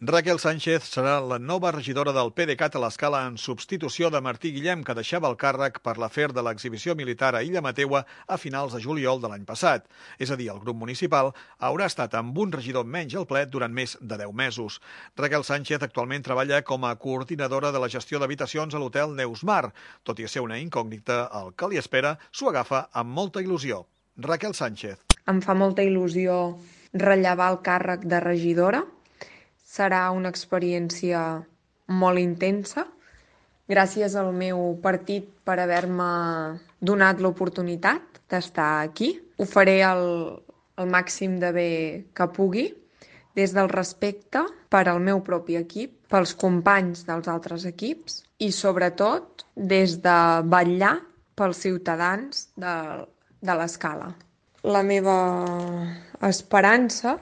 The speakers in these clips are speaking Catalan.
Raquel Sánchez serà la nova regidora del PDeCAT a l'Escala en substitució de Martí Guillem, que deixava el càrrec per l'afer de l'exhibició militar a Illa Mateua a finals de juliol de l'any passat. És a dir, el grup municipal haurà estat amb un regidor menys al ple durant més de 10 mesos. Raquel Sánchez actualment treballa com a coordinadora de la gestió d'habitacions a l'hotel Neusmar. Tot i ser una incògnita, el que li espera s'ho agafa amb molta il·lusió. Raquel Sánchez. Em fa molta il·lusió rellevar el càrrec de regidora. Serà una experiència molt intensa. Gràcies al meu partit per haver-me donat l'oportunitat d'estar aquí. Ho faré el màxim de bé que pugui, des del respecte per al meu propi equip, pels companys dels altres equips i, sobretot, des de vetllar pels ciutadans de l'Escala. La meva esperança,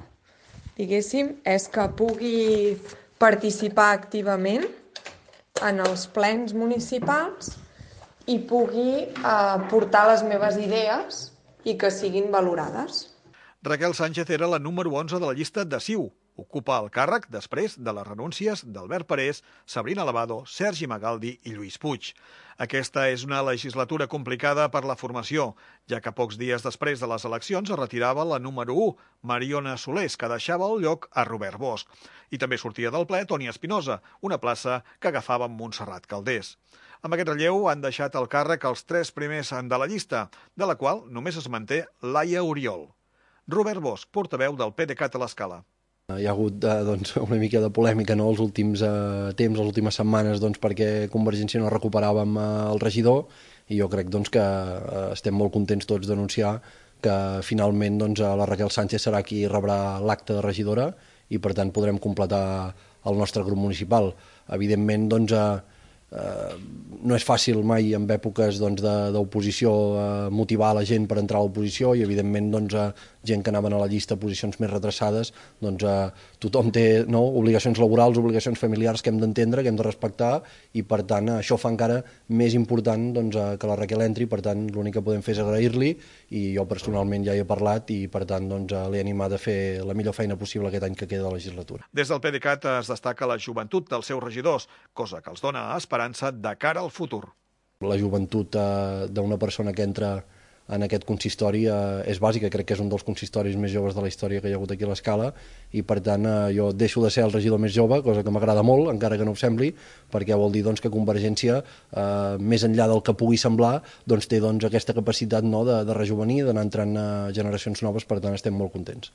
diguéssim, és que pugui participar activament en els plens municipals i pugui portar les meves idees i que siguin valorades. Raquel Sánchez era la número 11 de la llista de CiU. Ocupa el càrrec després de les renúncies d'Albert Parés, Sabrina Lavado, Sergi Magaldi i Lluís Puig. Aquesta és una legislatura complicada per la formació, ja que pocs dies després de les eleccions es retirava la número 1, Mariona Solés, que deixava el lloc a Robert Bosch. I també sortia del ple Toni Espinosa, una plaça que agafava Montserrat Calders. Amb aquest relleu han deixat el càrrec els 3 primers de la llista, de la qual només es manté Laia Oriol. Robert Bosch, portaveu del PDeCAT a l'Escala. Hi ha hagut una mica de polèmica els últims temps, les últimes setmanes, perquè Convergència no recuperàvem el regidor, i jo crec que estem molt contents tots d'anunciar que finalment la Raquel Sánchez serà qui rebrà l'acte de regidora i per tant podrem completar el nostre grup municipal. Evidentment no és fàcil mai en èpoques d'oposició motivar la gent per entrar a l'oposició i evidentment gent que anaven a la llista a posicions més retrasades, tothom té obligacions laborals, obligacions familiars que hem d'entendre, que hem de respectar, i per tant això fa encara més important que la Raquel entri. Per tant l'únic que podem fer és agrair-li, i jo personalment ja hi he parlat i per tant l'he animat a fer la millor feina possible aquest any que queda de legislatura. Des del PDeCAT es destaca la joventut dels seus regidors, cosa que els dona esperança de cara al futur. La joventut d'una persona que entra en aquest consistori és bàsica. Crec que és un dels consistoris més joves de la història que hi ha hagut aquí a l'Escala, i per tant jo deixo de ser el regidor més jove, cosa que m'agrada molt, encara que no ho sembli, perquè vol dir que Convergència, més enllà del que pugui semblar, té aquesta capacitat de rejovenir, d'anar entrant generacions noves. Per tant estem molt contents.